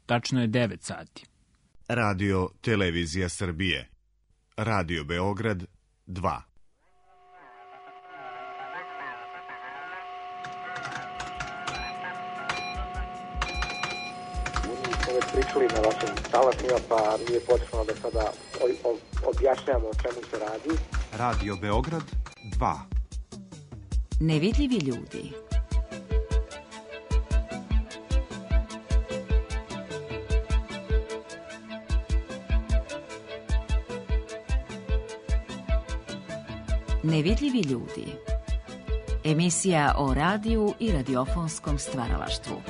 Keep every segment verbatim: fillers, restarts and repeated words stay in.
tačno je devet sati. Radio Televizija Srbije. Radio Beograd dva. Već pričali na vašim talasima, pa nije potrebno da sada objašnjamo o čemu se radi. Radio Beograd dva. Nevidljivi ljudi. Nevidljivi ljudi. Emisija o radiju i radiofonskom stvaralaštvu.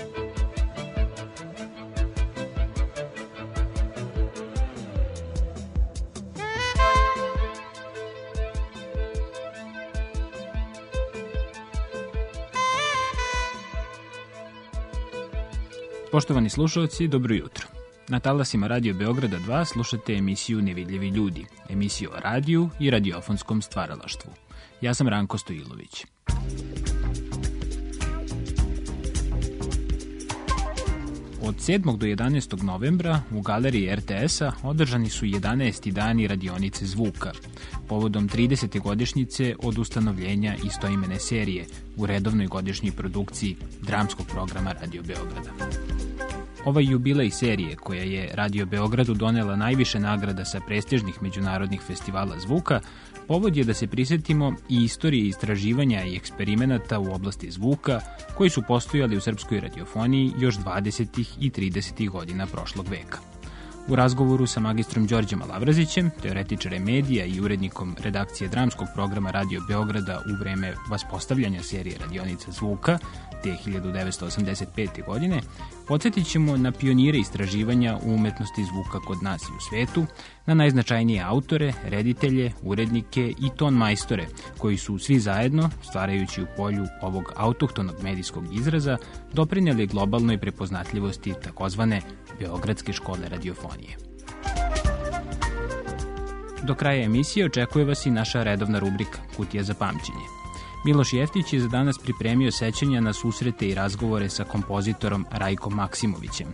Poštovani slušalci, dobro jutro. Na talasima Radio Beograda dva slušate emisiju Nevidljivi ljudi, emisiju o radiju i radiofonskom stvaralaštvu. Ja sam Ranko Stojilović. Od sedmog do jedanaestog novembra u galeriji er te es-a održani su jedanaesti dani radionice zvuka, povodom tridesete godišnjice od ustanovljenja istoimene serije u redovnoj godišnjoj produkciji dramskog programa Radio Beograda. Ovaj jubilej serije, koja je Radio Beogradu donela najviše nagrada sa prestižnih međunarodnih festivala zvuka, povod je da se prisjetimo i istorije istraživanja i eksperimenata u oblasti zvuka koji su postojali u srpskoj radiofoniji još dvadesetih i tridesetih godina prošlog veka. U razgovoru sa magistrom Đorđem Alavrazićem, teoretičarem medija i urednikom redakcije dramskog programa Radio Beograda u vreme vaspostavljanja serije radionica zvuka, te hiljadu devetsto osamdeset pete. godine, podsjetit ćemo na pionire istraživanja u umetnosti zvuka kod nas i u svetu, na najznačajnije autore, reditelje, urednike i ton majstore, koji su svi zajedno, stvarajući u polju ovog autohtonog medijskog izraza, doprinijeli globalnoj prepoznatljivosti takozvane Beogradske škole radiofonije. Do kraja emisije očekuje vas i naša redovna rubrika Kutija za pamćenje. Miloš Jeftić je za danas pripremio sećanja na susrete i razgovore sa kompozitorom Rajkom Maksimovićem,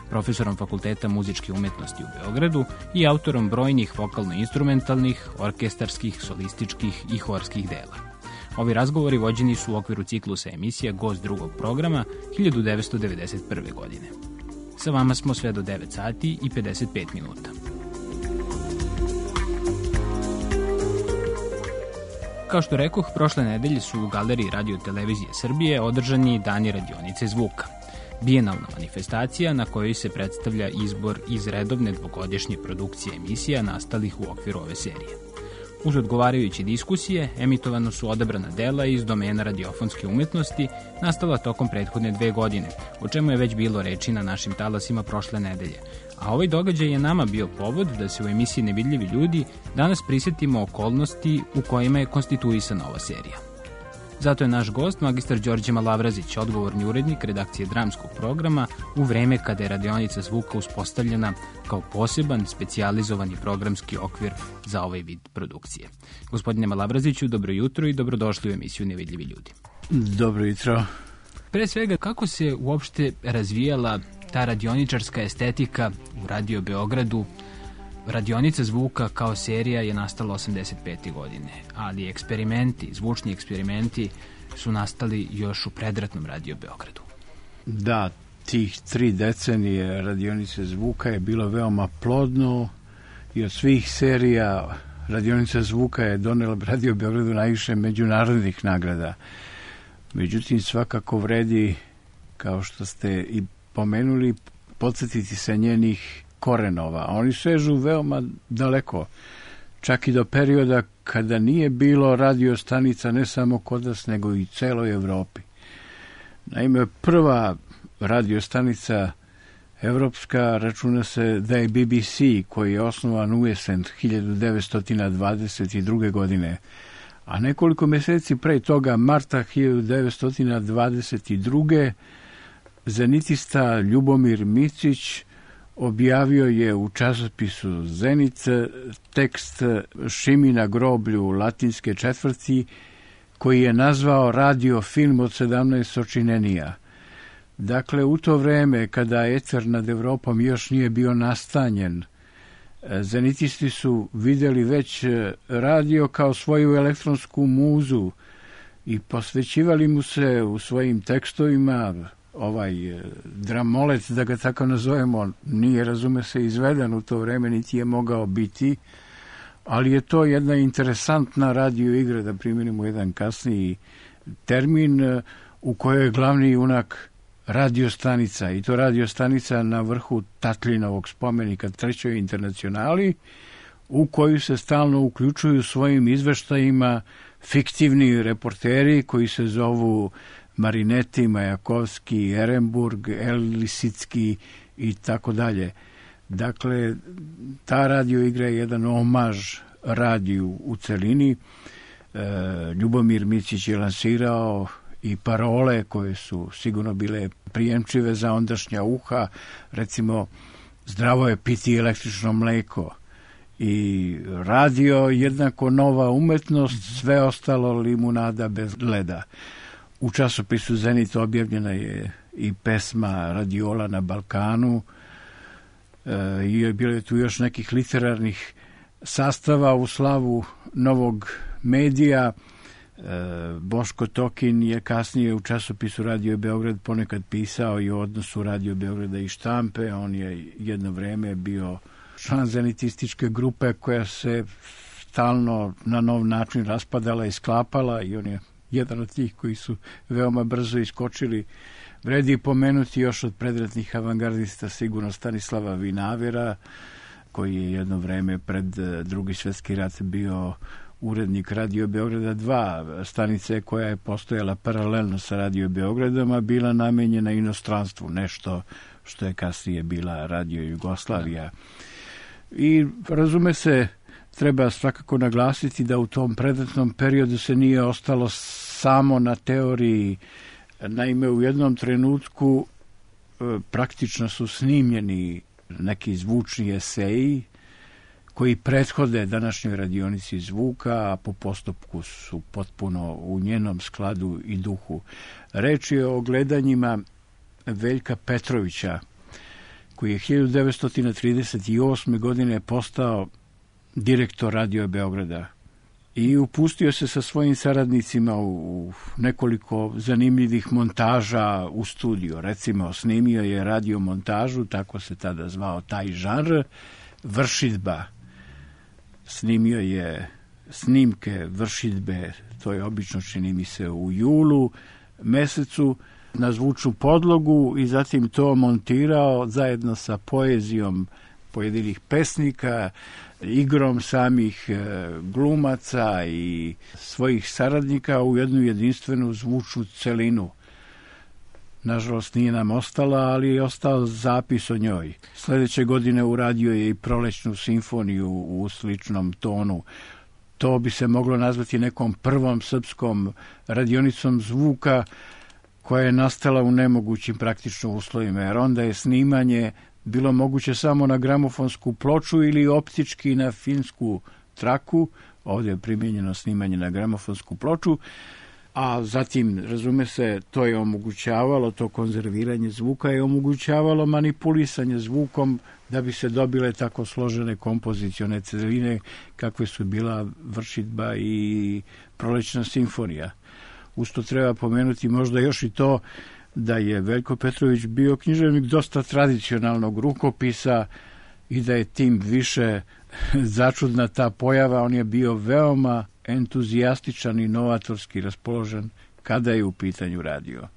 profesorom Fakulteta muzičke umetnosti u Beogradu i autorom brojnih vokalno-instrumentalnih, orkestarskih, solističkih i horskih dela. Ovi razgovori vođeni su u okviru ciklusa emisija Gost drugog programa hiljadu devetsto devedeset prve. godine. Sa vama smo sve do devet sati i pedeset pet minuta. Kao što rekoh, prošle nedelje su u galeriji Radio Televizije Srbije održani Dani radionice zvuka. Bijenalna manifestacija na kojoj se predstavlja izbor iz redovne dvogodišnje produkcije emisija nastalih u okviru ove serije. Uz odgovarajuće diskusije, emitovano su odabrana dela iz domena radiofonske umetnosti, nastala tokom prethodne dve godine, o čemu je već bilo reči na našim talasima prošle nedelje. A ovaj događaj je nama bio povod da se u emisiji Nevidljivi ljudi danas prisjetimo okolnosti u kojima je konstituisana ova serija. Zato je naš gost, magistar Đorđe Malavrazić, odgovorni urednik redakcije dramskog programa u vreme kada je radionica zvuka uspostavljena kao poseban, specijalizovani programski okvir za ovaj vid produkcije. Gospodine Malavraziću, dobro jutro i dobrodošli u emisiju Nevidljivi ljudi. Dobro jutro. Pre svega, kako se uopšte razvijala ta radioničarska estetika u Radio Beogradu? Radionica zvuka kao serija je nastala osamdeset pete. godine, ali eksperimenti, zvučni eksperimenti su nastali još u predratnom Radio Beogradu. Da, tih tri decenije radionice zvuka je bilo veoma plodno i od svih serija radionica zvuka je donela Radio Beogradu najviše međunarodnih nagrada. Međutim, svakako vredi, kao što ste i pomenuli, podsjetiti se njenih korenova. Oni sežu veoma daleko, čak i do perioda kada nije bilo radio stanica ne samo kod nas, nego i celoj Evropi. Naime, prva radio stanica evropska računa se da je be be ce, koji je osnovan u jesen hiljadu devetsto dvadeset druge. godine, a nekoliko meseci pre toga, marta hiljadu devetsto dvadeset druge. zenitista Ljubomir Micić objavio je u časopisu Zenit tekst Šimi na groblju latinske četvrti, koji je nazvao radio film od sedamnaest sočinenija. Dakle, u to vreme kada eter nad Evropom još nije bio nastanjen, zenitisti su vidjeli već radio kao svoju elektronsku muzu i posvećivali mu se u svojim tekstovima. Ovaj dramolec, da ga tako nazovemo, nije, razume se, izveden u to vreme, niti je mogao biti, ali je to jedna interesantna radio igra, da primjenimo jedan kasniji termin, u kojoj je glavni junak radiostanica, i to radiostanica na vrhu Tatlinovog spomenika Trećoj internacionali, u koju se stalno uključuju svojim izveštajima fiktivni reporteri koji se zovu Marinetti, Majakovski, Ehrenburg, Lisicki i tako dalje. Dakle, ta radio igra je jedan omaž radiju u celini. E, Ljubomir Micić je lansirao i parole koje su sigurno bile prijemčive za ondašnja uha, recimo zdravo je piti električno mleko i radio jednako nova umetnost, sve ostalo limunada bez leda. U časopisu Zenit objavljena je i pesma Radiola na Balkanu e, i bilo je tu još nekih literarnih sastava u slavu novog medija. Boško Tokin je kasnije u časopisu Radio Beograd ponekad pisao i o odnosu Radio Beograda i štampe. On je jedno vreme bio član zenitističke grupe koja se stalno na nov način raspadala i sklapala i on je jedan od tih koji su veoma brzo iskočili. Vredi pomenuti još od predratnih avangardista sigurno Stanislava Vinavera, koji je jedno vreme pred Drugi svjetski rat bio urednik Radio Beograda dva, stanice koja je postojala paralelno sa Radio Beogradom, a bila namenjena inostranstvu, nešto što je kasnije bila Radio Jugoslavija. I razume se, treba svakako naglasiti da u tom predratnom periodu se nije ostalo samo na teoriji. Naime, u jednom trenutku praktično su snimljeni neki zvučni eseji koji prethode današnjoj radionici zvuka, a po postupku su potpuno u njenom skladu i duhu. Reč je o gledanjima Veljka Petrovića, koji je hiljadu devetsto trideset osme. godine postao direktor Radio Beograda i upustio se sa svojim saradnicima u nekoliko zanimljivih montaža u studio. Recimo, snimio je radio montažu, tako se tada zvao taj žanr, vršidba. Snimio je snimke vršidbe, to je obično, čini mi se, u julu mesecu, na zvučnu podlogu i zatim to montirao zajedno sa poezijom pojedinih pesnika, igrom samih glumaca i svojih saradnika u jednu jedinstvenu zvučnu celinu. Nažalost, nije nam ostala, ali je ostao zapis o njoj. Sljedeće godine uradio je i Prolećnu simfoniju u sličnom tonu. To bi se moglo nazvati nekom prvom srpskom radionicom zvuka koja je nastala u nemogućim praktično uslovima, jer onda je snimanje bilo moguće samo na gramofonsku ploču ili optički na filmsku traku. Ovdje je primijenjeno snimanje na gramofonsku ploču, a zatim, razume se, to je omogućavalo, to konzerviranje zvuka je omogućavalo manipulisanje zvukom da bi se dobile tako složene kompozicione celine kakve su bila vršidba i Prolećna simfonija. Usto treba pomenuti možda još i to da je Veljko Petrović bio književnik dosta tradicionalnog rukopisa i da je tim više začudna ta pojava. On je bio veoma entuzijastičan i novatorski raspoložen kada je u pitanju radio.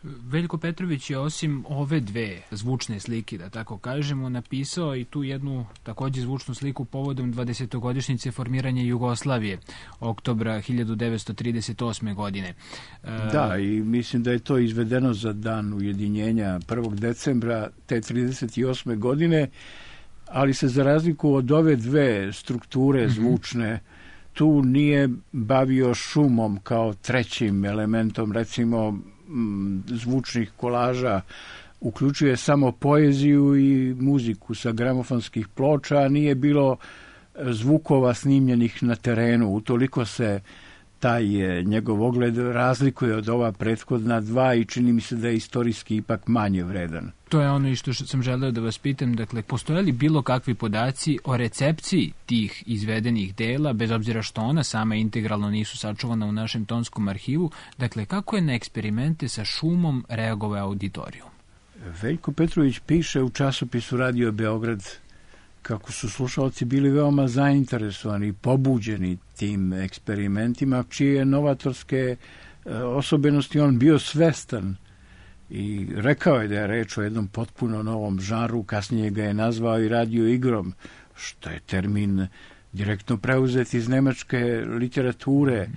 Veljko Petrović je osim ove dve zvučne slike, da tako kažemo, napisao i tu jednu također zvučnu sliku povodom dvadesetogodišnjice formiranja Jugoslavije, oktobra hiljadu devetsto trideset osme. godine. Da, i mislim da je to izvedeno za dan ujedinjenja prvog decembra te trideset osme. godine, ali se za razliku od ove dve strukture zvučne, mm-hmm. tu nije bavio šumom kao trećim elementom, recimo zvučnih kolaža, uključuje samo poeziju i muziku sa gramofonskih ploča, a nije bilo zvukova snimljenih na terenu. Utoliko se taj je, njegov ogled razlikuje od ova prethodna dva i čini mi se da je istorijski ipak manje vredan. To je ono i što sam želeo da vas pitam, dakle, postoje li bilo kakvi podaci o recepciji tih izvedenih dela, bez obzira što ona sama integralno nisu sačuvana u našem tonskom arhivu, dakle, kako je na eksperimente sa šumom reagovao auditorijum? Veljko Petrović piše u časopisu Radio Beograd kako su slušalci bili veoma zainteresovani i pobuđeni tim eksperimentima, čije je novatorske osobenosti on bio svestan i rekao je da je reč o jednom potpuno novom žanru, kasnije ga je nazvao i radio igrom, što je termin direktno preuzet iz nemačke literature,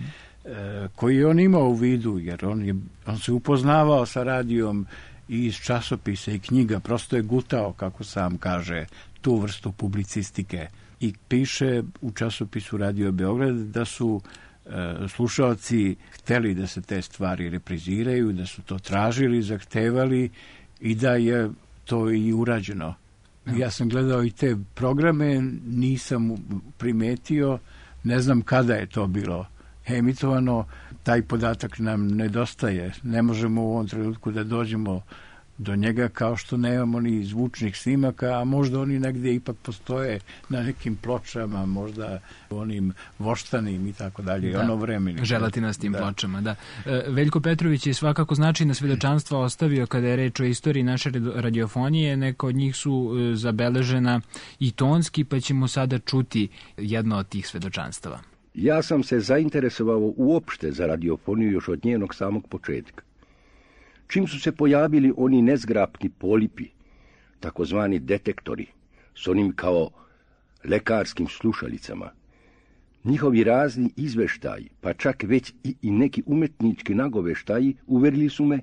koji je on imao u vidu, jer on, je, on se upoznavao sa radijom i iz časopisa i knjiga, prosto je gutao, kako sam kaže, tu vrstu publicistike. I piše u časopisu Radio Beograd da su e, slušalci hteli da se te stvari repriziraju, da su to tražili, zahtevali i da je to i urađeno. Ja sam gledao i te programe, nisam primetio, ne znam kada je to bilo emitovano, taj podatak nam nedostaje. Ne možemo u ovom trenutku da dođemo do njega, kao što nemamo ni zvučnih snimaka, a možda oni negdje ipak postoje na nekim pločama, možda onim voštanim i tako dalje, ono vremeni. Želatinastim pločama, da. Veljko Petrović je svakako značajna svedočanstva ostavio kada je reč o istoriji naše radiofonije, neka od njih su zabeležena i tonski, pa ćemo sada čuti jedno od tih svedočanstava. Ja sam se zainteresovao uopšte za radiofoniju još od njenog samog početka. Čim su se pojavili oni nezgrapni polipi, takozvani detektori, s onim kao lekarskim slušalicama, njihovi razni izveštaji, pa čak već i, i neki umetnički nagoveštaji, uverili su me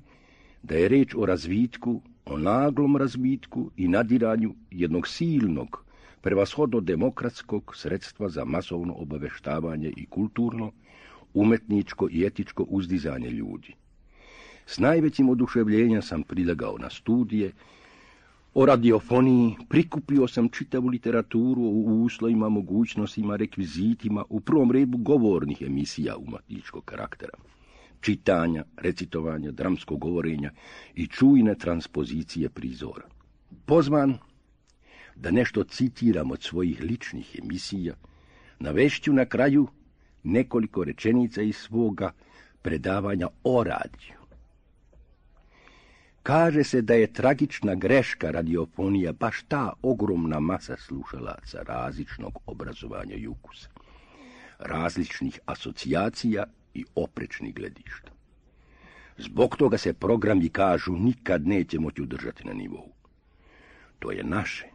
da je reč o razvitku, o naglom razvitku i nadiranju jednog silnog, prevashodno demokratskog sredstva za masovno obaveštavanje i kulturno, umetničko i etičko uzdizanje ljudi. S najvećim oduševljenjem sam prilegao na studije o radiofoniji, prikupio sam čitavu literaturu o uslovima, mogućnostima, rekvizitima, u prvom redu govornih emisija umetničkog karaktera, čitanja, recitovanja, dramskog govorenja i čujne transpozicije prizora. Pozvan da nešto citiram od svojih ličnih emisija, navešću na kraju nekoliko rečenica iz svoga predavanja o radiju. Kaže se da je tragična greška radiofonija baš ta ogromna masa slušalaca različnog obrazovanja i ukusa, različnih asocijacija i oprečnih gledišta. Zbog toga se programi, kažu, nikad neće moći udržati na nivou. To je naše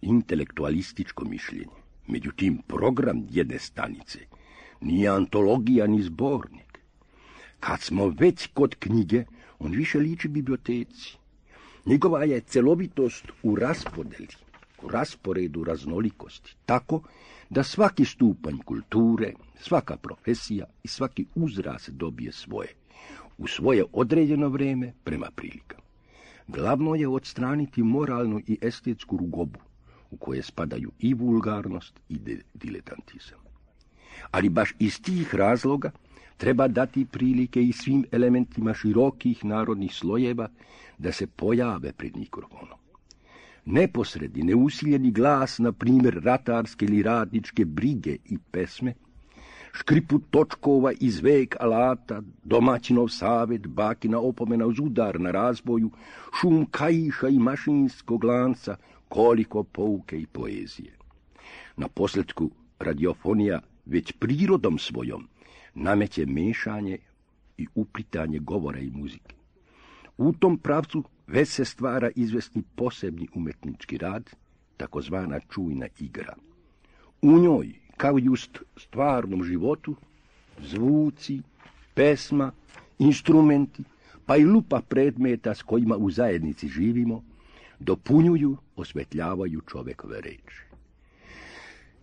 intelektualističko mišljenje. Međutim, program jedne stanice nije antologija ni zbornik. Kad smo već kod knjige, on više liči biblioteci. Njegova je celovitost u raspodeli, u rasporedu raznolikosti, tako da svaki stupanj kulture, svaka profesija i svaki uzrast dobije svoje, u svoje određeno vrijeme prema prilikama. Glavno je odstraniti moralnu i estetsku rugobu, u koje spadaju i vulgarnost i diletantizam. Ali baš iz tih razloga treba dati prilike i svim elementima širokih narodnih slojeva da se pojave pred mikrofonom. Neposredni, neusiljeni glas, na primjer ratarske ili radničke brige i pesme, škriput točkova iz vek alata, domaćinov savjet, bakina opomena uz udar na razboju, šum kajiša i mašinskog lanca, koliko pouke i poezije. Na posljedku radiofonija već prirodom svojom nameće mešanje i uplitanje govora i muzike. U tom pravcu već se stvara izvesni posebni umetnički rad, takozvana čujna igra. U njoj, kao i u stvarnom životu, zvuci, pesma, instrumenti, pa i lupa predmeta s kojima u zajednici živimo, dopunjuju, osvetljavaju čovekove reči.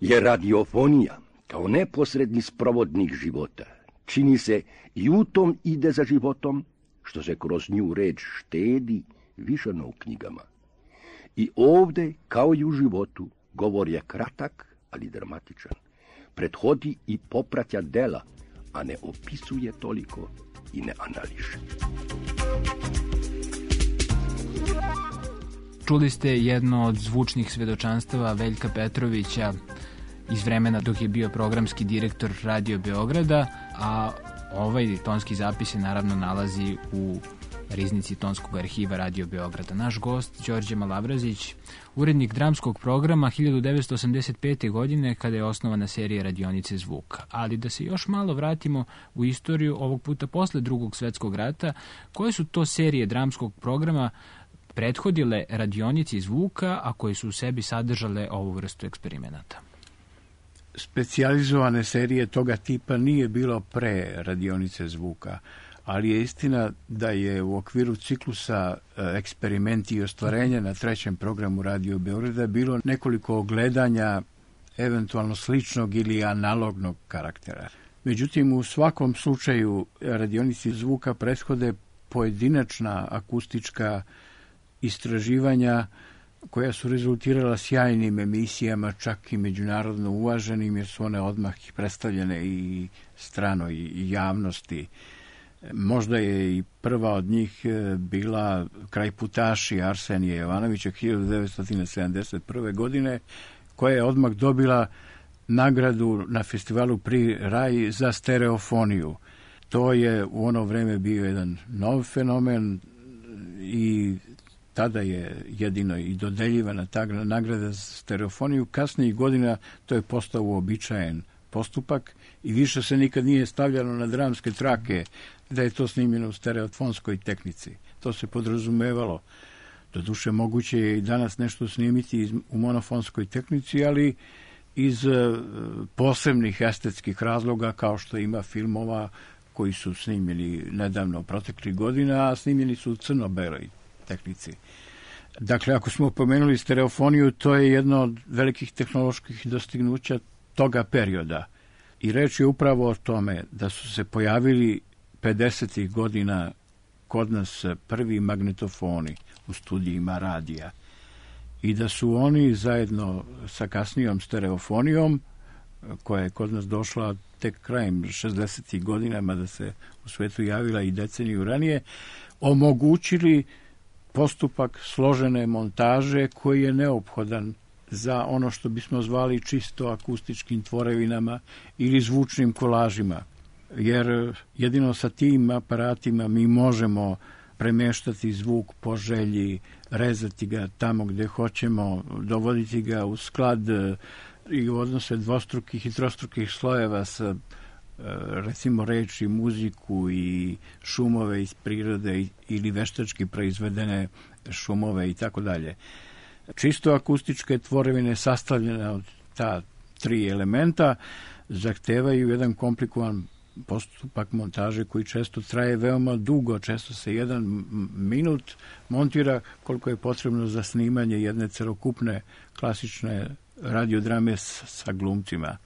Jer radiofonija, kao neposredni sprovodnik života, čini se i u tom ide za životom, što se kroz nju reč štedi više no u knjigama. I ovdje, kao i u životu, govor je kratak, ali dramatičan. Prethodi i popratja dela, a ne opisuje toliko i ne anališe. Čuli ste jedno od zvučnih svedočanstava Veljka Petrovića iz vremena dok je bio programski direktor Radio Beograda, a ovaj tonski zapis se naravno nalazi u riznici tonskog arhiva Radio Beograda. Naš gost, Đorđe Malabrazić, urednik dramskog programa hiljadu devetsto osamdeset pete. godine kada je osnovana serija Radionice zvuka. Ali da se još malo vratimo u istoriju, ovog puta posle Drugog svetskog rata, koje su to serije dramskog programa prethodile Radionici zvuka, a koje su u sebi sadržale ovu vrstu eksperimenata? Specijalizovane serije toga tipa nije bilo pre Radionice zvuka, ali je istina da je u okviru ciklusa Eksperimenti i ostvarenja na trećem programu Radio Beograda bilo nekoliko ogledanja eventualno sličnog ili analognog karaktera. Međutim, u svakom slučaju Radionici zvuka prethode pojedinačna akustička istraživanja koja su rezultirala sjajnim emisijama, čak i međunarodno uvaženim, jer su one odmah predstavljene i stranoj javnosti. Možda je i prva od njih bila Krajputaši Arsenija Jovanovića hiljadu devetsto sedamdeset prve. godine, koja je odmah dobila nagradu na festivalu Pri Raj za stereofoniju. To je u ono vreme bio jedan nov fenomen i tada je jedino i dodeljivana ta nagrada za stereofoniju. Kasnijih godina to je postao uobičajen postupak i više se nikad nije stavljalo na dramske trake da je to snimljeno u stereofonskoj tehnici. To se podrazumevalo. Doduše, moguće je i danas nešto snimiti u monofonskoj tehnici, ali iz posebnih estetskih razloga, kao što ima filmova koji su snimljeni nedavno proteklih godina, a snimljeni su u crno-beloj tehnici. Dakle, ako smo pomenuli stereofoniju, to je jedno od velikih tehnoloških dostignuća toga perioda. I reč je upravo o tome da su se pojavili pedesetih godina kod nas prvi magnetofoni u studijima radija i da su oni zajedno sa kasnijom stereofonijom, koja je kod nas došla tek krajem šezdesetih godina, mada se u svetu javila i deceniju ranije, omogućili postupak složene montaže koji je neophodan za ono što bismo zvali čisto akustičkim tvorevinama ili zvučnim kolažima. Jer jedino sa tim aparatima mi možemo premeštati zvuk po želji, rezati ga tamo gde hoćemo, dovoditi ga u sklad i u odnose dvostrukih i trostrukih slojeva sa recimo reči, muziku i šumove iz prirode ili veštački proizvedene šumove i tako dalje. Čisto akustičke tvorevine sastavljene od ta tri elementa zahtevaju jedan komplikovan postupak montaže koji često traje veoma dugo, često se jedan minut montira koliko je potrebno za snimanje jedne celokupne klasične radiodrame sa glumcima.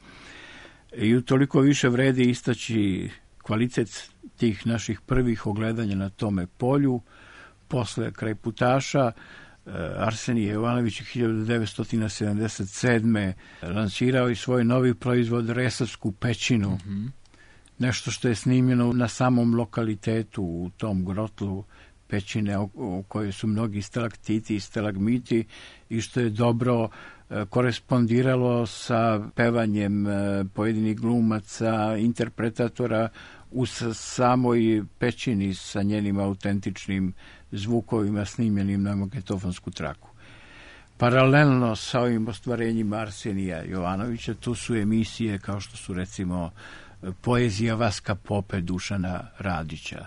I utoliko više vredi istaći kvalitet tih naših prvih ogledanja na tome polju. Posle Krajputaša Arsenije Jovanović hiljadu devetsto sedamdeset sedme. lansirao i svoj novi proizvod Resavsku pećinu. Mm-hmm. Nešto što je snimljeno na samom lokalitetu u tom grotlu pećine u kojoj su mnogi stalaktiti i stalagmiti i što je dobro korespondiralo sa pevanjem pojedinih glumaca, interpretatora u samoj pećini sa njenim autentičnim zvukovima snimljenim na magnetofonsku traku. Paralelno sa ovim ostvarenjima Arsenija Jovanovića tu su emisije kao što su recimo Poezija Vaska Pope Dušana Radića,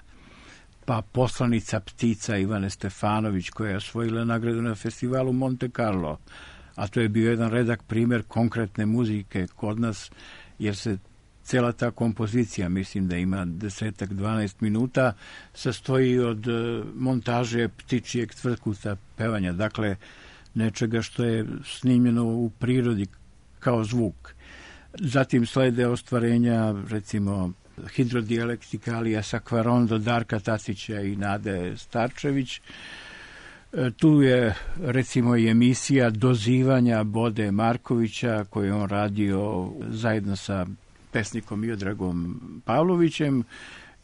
pa Poslanica ptica Ivane Stefanović koja je osvojila nagradu na festivalu Monte Carlo, a to je bio jedan redak primjer konkretne muzike kod nas, jer se cela ta kompozicija, mislim da ima desetak, dvanaest minuta, sastoji od montaže ptičijeg tvrtkuta pevanja, dakle nečega što je snimljeno u prirodi kao zvuk. Zatim slede ostvarenja, recimo, hidrodijalektikalija Sakvarondo Darka Tatića i Nade Starčević. Tu je, recimo, i emisija Dozivanja Bode Markovića, koju je on radio zajedno sa pesnikom Miodragom Pavlovićem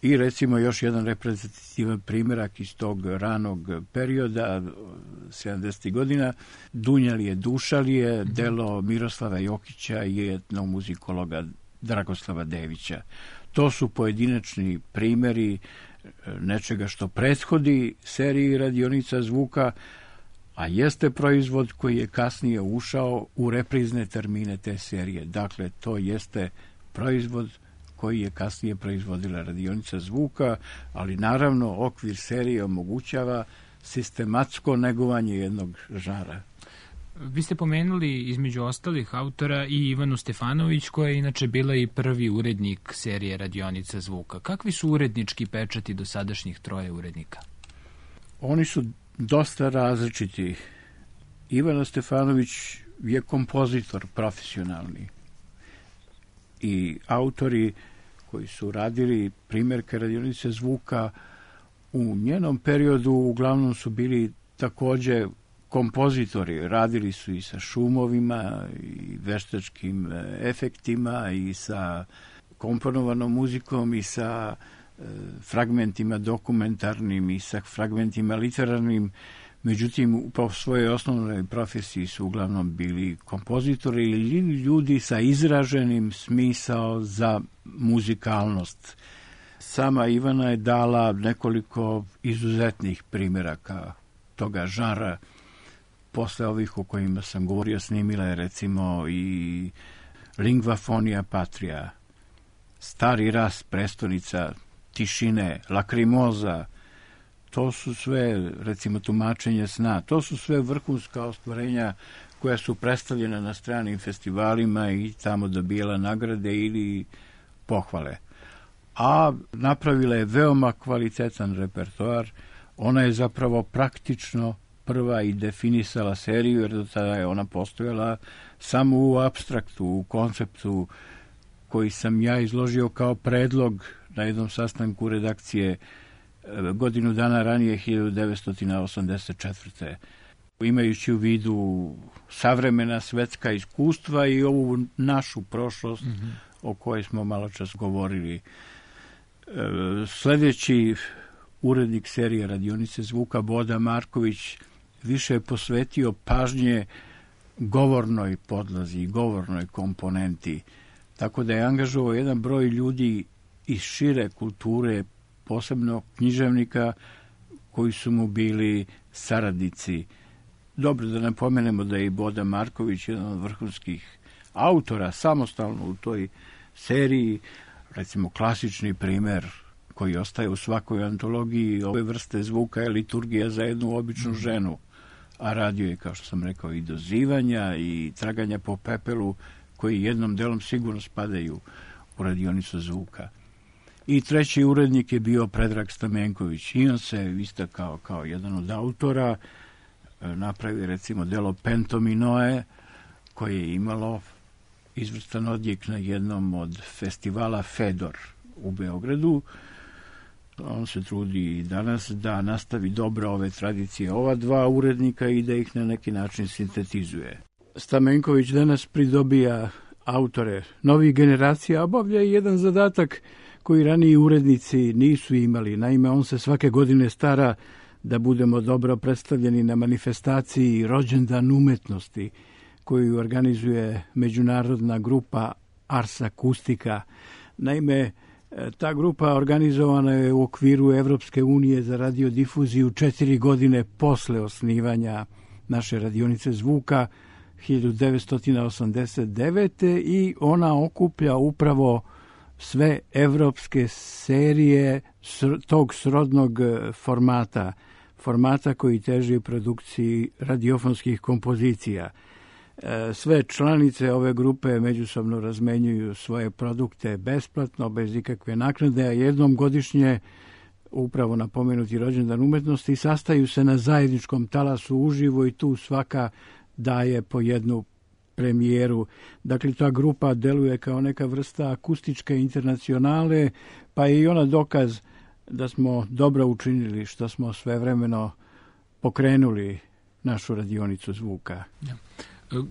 i recimo još jedan reprezentativan primjerak iz tog ranog perioda, sedamdesetih godina, Dunjalije Dušalije, delo Miroslava Jokića i etnomuzikologa Dragoslava Devića. To su pojedinačni primjeri nečega što prethodi seriji radionica zvuka, a jeste proizvod koji je kasnije ušao u reprizne termine te serije. Dakle, to jeste proizvod koji je kasnije proizvodila radionica zvuka, ali naravno okvir serije omogućava sistematsko negovanje jednog žara. Vi ste pomenuli između ostalih autora i Ivanu Stefanović, koja je inače bila i prvi urednik serije radionica zvuka. Kakvi su urednički pečati dosadašnjih troje urednika? Oni su dosta različiti. Ivana Stefanović je kompozitor profesionalni i autori koji su radili primjerke radionice zvuka u njenom periodu uglavnom su bili također kompozitori. Radili su i sa šumovima i veštačkim efektima i sa komponovanom muzikom i sa e, fragmentima dokumentarnim i sa fragmentima literarnim. Međutim, po svojoj osnovnoj profesiji su uglavnom bili kompozitori ili ljudi sa izraženim smisao za muzikalnost. Sama Ivana je dala nekoliko izuzetnih primjeraka toga žara. Posle ovih o kojima sam govorio, snimila je recimo i Lingua Fonia Patria, Stari ras, Prestonica tišine, Lakrimoza. To su sve, recimo, tumačenje sna. To su sve vrhunska ostvarenja koja su predstavljena na stranim festivalima i tamo dobijala nagrade ili pohvale. A napravila je veoma kvalitetan repertoar. Ona je zapravo praktično prva i definisala seriju, jer do tada je ona postojala samo u apstraktu, u konceptu koji sam ja izložio kao predlog na jednom sastanku redakcije godinu dana ranije, hiljadu devetsto osamdeset četvrte. Imajući u vidu savremena svetska iskustva i ovu našu prošlost mm-hmm. o kojoj smo malo čas govorili. Sljedeći urednik serije radionice zvuka, Boda Marković, više je posvetio pažnje govornoj podlazi, govornoj komponenti, tako da je angažovao jedan broj ljudi iz šire kulture, posebno književnika koji su mu bili saradnici. Dobro da napomenemo da je i Boda Marković jedan od vrhunskih autora samostalno u toj seriji, recimo klasični primjer koji ostaje u svakoj antologiji ove vrste zvuka je Liturgija za jednu običnu ženu, a radio je, kao što sam rekao, i dozivanja i traganja po pepelu, koji jednom delom sigurno spadaju u radionicu zvuka. I treći urednik je bio Predrag Stamenković. I on se istakao kao jedan od autora, napravi recimo delo Pentominoe, koje je imalo izvrstan odjek na jednom od festivala Fedor u Beogradu. On se trudi i danas da nastavi dobro ove tradicije ova dva urednika i da ih na neki način sintetizuje. Stamenković danas pridobija autore novih generacija, obavlja i jedan zadatak koji raniji urednici nisu imali. Naime, on se svake godine stara da budemo dobro predstavljeni na manifestaciji Rođendan umetnosti koju organizuje međunarodna grupa Ars Akustika. Naime, ta grupa organizovana je u okviru Evropske unije za radiodifuziju četiri godine posle osnivanja naše radionice zvuka hiljadu devetsto osamdeset devete. i ona okuplja upravo sve evropske serije tog srodnog formata, formata koji teži produkciji radiofonskih kompozicija. Sve članice ove grupe međusobno razmenjuju svoje produkte besplatno, bez ikakve naknade, a jednom godišnje, upravo na pomenuti Rođendan umetnosti, sastaju se na zajedničkom talasu uživo i tu svaka daje po jednu premijeru. Dakle, ta grupa deluje kao neka vrsta akustičke internacionale, pa je i ona dokaz da smo dobro učinili što smo svevremeno pokrenuli našu radionicu zvuka. Ja.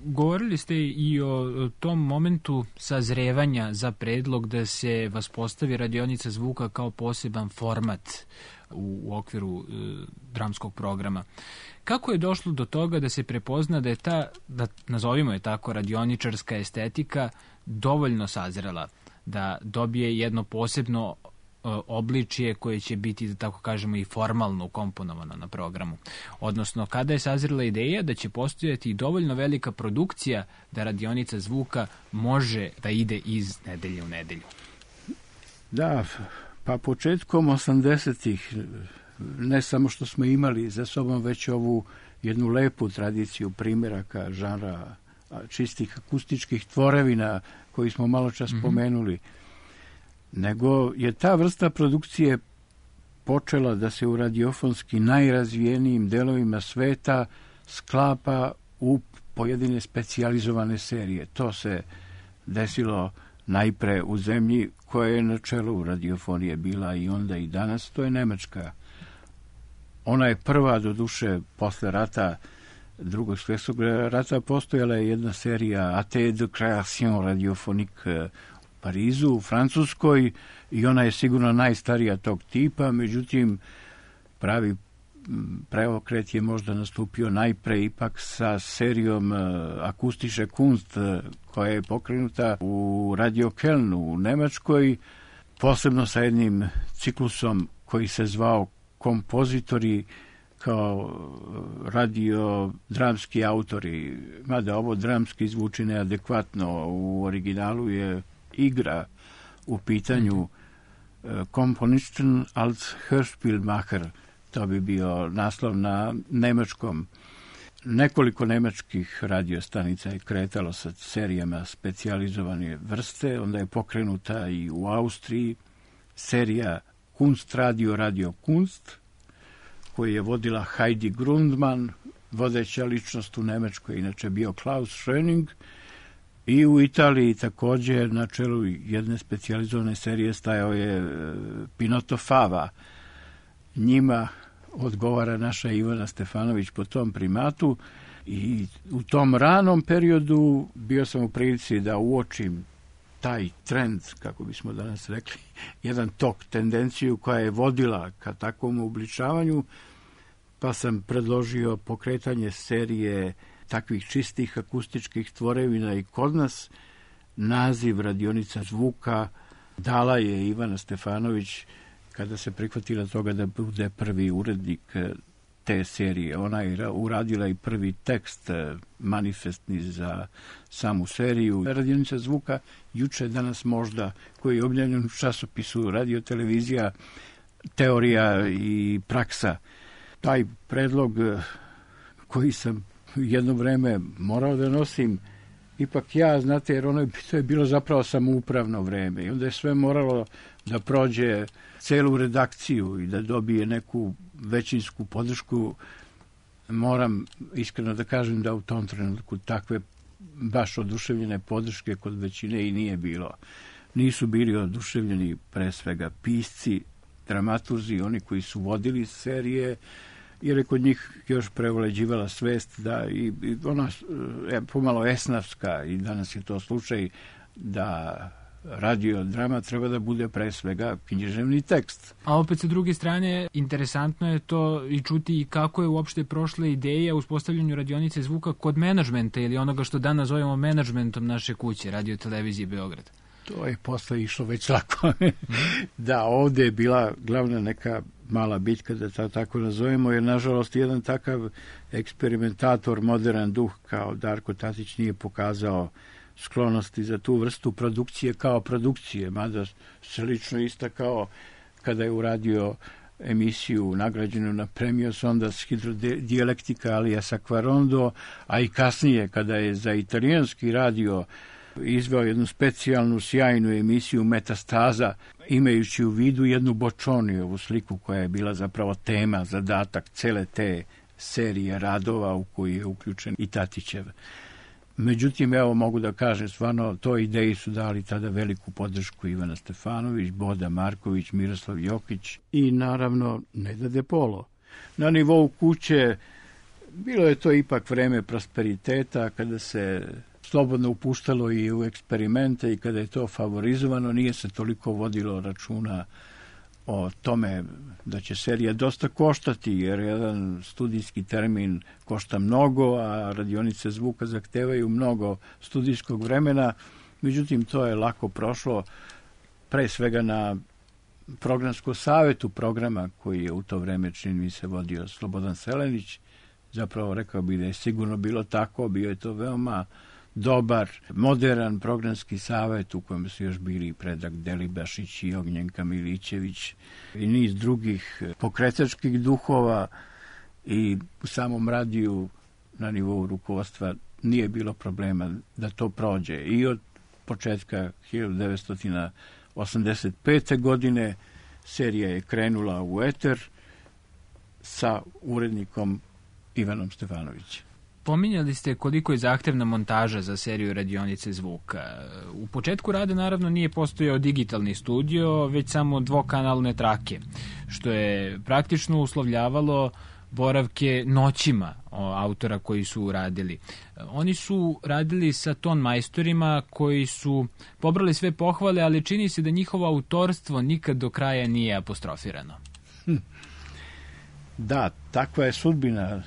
Govorili ste i o tom momentu sazrevanja za predlog da se vaspostavi radionica zvuka kao poseban format u, u okviru e, dramskog programa. Kako je došlo do toga da se prepozna da je ta, da nazovimo je tako, radioničarska estetika dovoljno sazrela, da dobije jedno posebno obličje koje će biti, da tako kažemo, i formalno ukomponovano na programu. Odnosno, kada je sazrela ideja da će postojati dovoljno velika produkcija da radionica zvuka može da ide iz nedelje u nedelju? Da, pa početkom osamdesetih ne samo što smo imali za sobom već ovu jednu lepu tradiciju primjeraka žanra čistih akustičkih tvorevina koji smo malo čas mm-hmm. spomenuli, nego je ta vrsta produkcije počela da se u radiofonski najrazvijenijim delovima sveta sklapa u pojedine specijalizovane serije. To se desilo najpre u zemlji koja je na čelu radiofonije bila i onda i danas, to je Nemačka. Ona je prva, do duše, posle rata, drugog svjetskog rata, postojala je jedna serija A T de Création radiophonique u Parizu, u Francuskoj, i ona je sigurno najstarija tog tipa, međutim, pravi preokret je možda nastupio najpre ipak sa serijom Akustische Kunst, koja je pokrenuta u Radio Kölnu u Nemačkoj, posebno sa jednim ciklusom koji se zvao Kompozitori kao radio-dramski autori, mada ovo dramski zvuči neadekvatno, u originalu je igra u pitanju Komponisten als Hörspielmacher, to bi bio naslov na nemačkom. Nekoliko nemačkih radiostanica je kretalo sa serijama specijalizovane vrste, onda je pokrenuta i u Austriji serija Kunst Radio, Radio Kunst, koju je vodila Heidi Grundmann, vodeća ličnost u Nemačkoj, inače bio Klaus Schöning, i u Italiji također na čelu jedne specijalizovane serije stajao je Pinotto Fava. Njima odgovara naša Ivana Stefanović po tom primatu i u tom ranom periodu bio sam u prilici da uočim taj trend, kako bismo danas rekli, jedan tok, tendenciju koja je vodila ka takvom uobličavanju, pa sam predložio pokretanje serije takvih čistih akustičkih tvorevina i kod nas. Naziv radionica zvuka dala je Ivana Stefanović kada se prihvatila toga da bude prvi urednik te serije. Ona je uradila i prvi tekst manifestni za samu seriju. Radionica zvuka juče, danas možda, koji je objavljen u časopisu Radio televizija, teorija i praksa. Taj predlog koji sam jedno vreme morao da nosim, ipak ja, znate, jer ono je, to je bilo zapravo samoupravno vreme i onda je sve moralo da prođe celu redakciju i da dobije neku većinsku podršku. Moram iskreno da kažem da u tom trenutku takve baš oduševljene podrške kod većine i nije bilo. Nisu bili oduševljeni pre svega pisci, dramaturzi, oni koji su vodili serije, jer je kod njih još prevlađivala svest da i, i ona je pomalo esnavska, i danas je to slučaj, da radio drama treba da bude pre svega književni tekst. A opet sa druge strane, interesantno je to i čuti kako je uopšte prošla ideja u uspostavljanju radionice zvuka kod menadžmenta ili onoga što danas zovemo menadžmentom naše kuće, Radio televizije Beograd. To je posle išlo već lako. Da, ovde je bila glavna neka mala bitka, da to tako nazovemo, jer nažalost jedan takav eksperimentator, modern duh kao Darko Tatić nije pokazao sklonosti za tu vrstu produkcije kao produkcije, mada se lično istakao kada je uradio emisiju nagrađenu na Premio Sondas Hidrodijalektika alias Aquarondo, a i kasnije kada je za italijanski radio izveo jednu specijalnu sjajnu emisiju Metastaza, imajući u vidu jednu Boccionijevu sliku koja je bila zapravo tema, zadatak cele te serije radova u koju je uključen i Tatićev. Međutim, evo mogu da kažem, stvarno, toj ideji su dali tada veliku podršku Ivana Stefanović, Boda Marković, Miroslav Jokić i naravno Neda De Polo. Na nivou kuće Bilo je to ipak vreme prosperiteta, kada se slobodno upuštalo i u eksperimente i kada je to favorizovano, nije se toliko vodilo računa o tome da će serija dosta koštati, jer jedan studijski termin košta mnogo, a radionice zvuka zahtevaju mnogo studijskog vremena. Međutim, to je lako prošlo, pre svega na programskom savetu programa koji je u to vreme, čini mi se, vodio Slobodan Selenić. Zapravo rekao bi da je sigurno bilo tako, bio je to veoma dobar, modern programski savet u kojem su još bili Predrag Delibašić i Ognjenka Milićević i niz drugih pokretačkih duhova, i u samom radiju na nivou rukovodstva nije bilo problema da to prođe. I od početka hiljadu devetsto osamdeset pete. godine serija je krenula u eter sa urednikom Ivanom Stefanovićem. Pominjali ste koliko je zahtevna montaža za seriju Radionice zvuka. U početku rada naravno nije postojao digitalni studio, već samo dvokanalne trake, što je praktično uslovljavalo boravke noćima autora koji su radili. Oni su radili sa ton majstorima koji su pobrali sve pohvale, ali čini se da njihovo autorstvo nikad do kraja nije apostrofirano. Hm. Da, takva je sudbina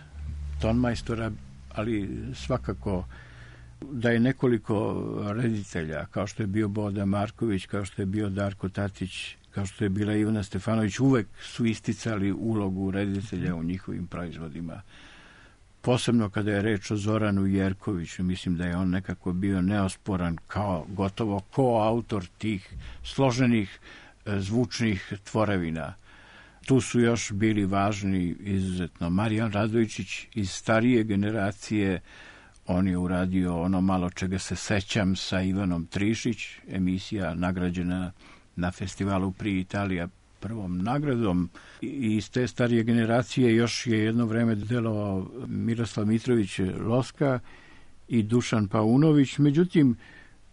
ton majstora, ali svakako da je nekoliko reditelja, kao što je bio Boda Marković, kao što je bio Darko Tatić, kao što je bila Ivana Stefanović, uvek su isticali ulogu reditelja u njihovim proizvodima. Posebno kada je reč o Zoranu Jerkoviću, mislim da je on nekako bio neosporan kao gotovo koautor tih složenih zvučnih tvorevina. Tu su još bili važni izuzetno Marijan Radojičić iz starije generacije. On je uradio ono malo čega se sećam sa Ivanom Trišić, emisija nagrađena na festivalu Pri Italija prvom nagradom. I iz te starije generacije još je jedno vreme delovao Miroslav Mitrović Loska i Dušan Paunović. Međutim,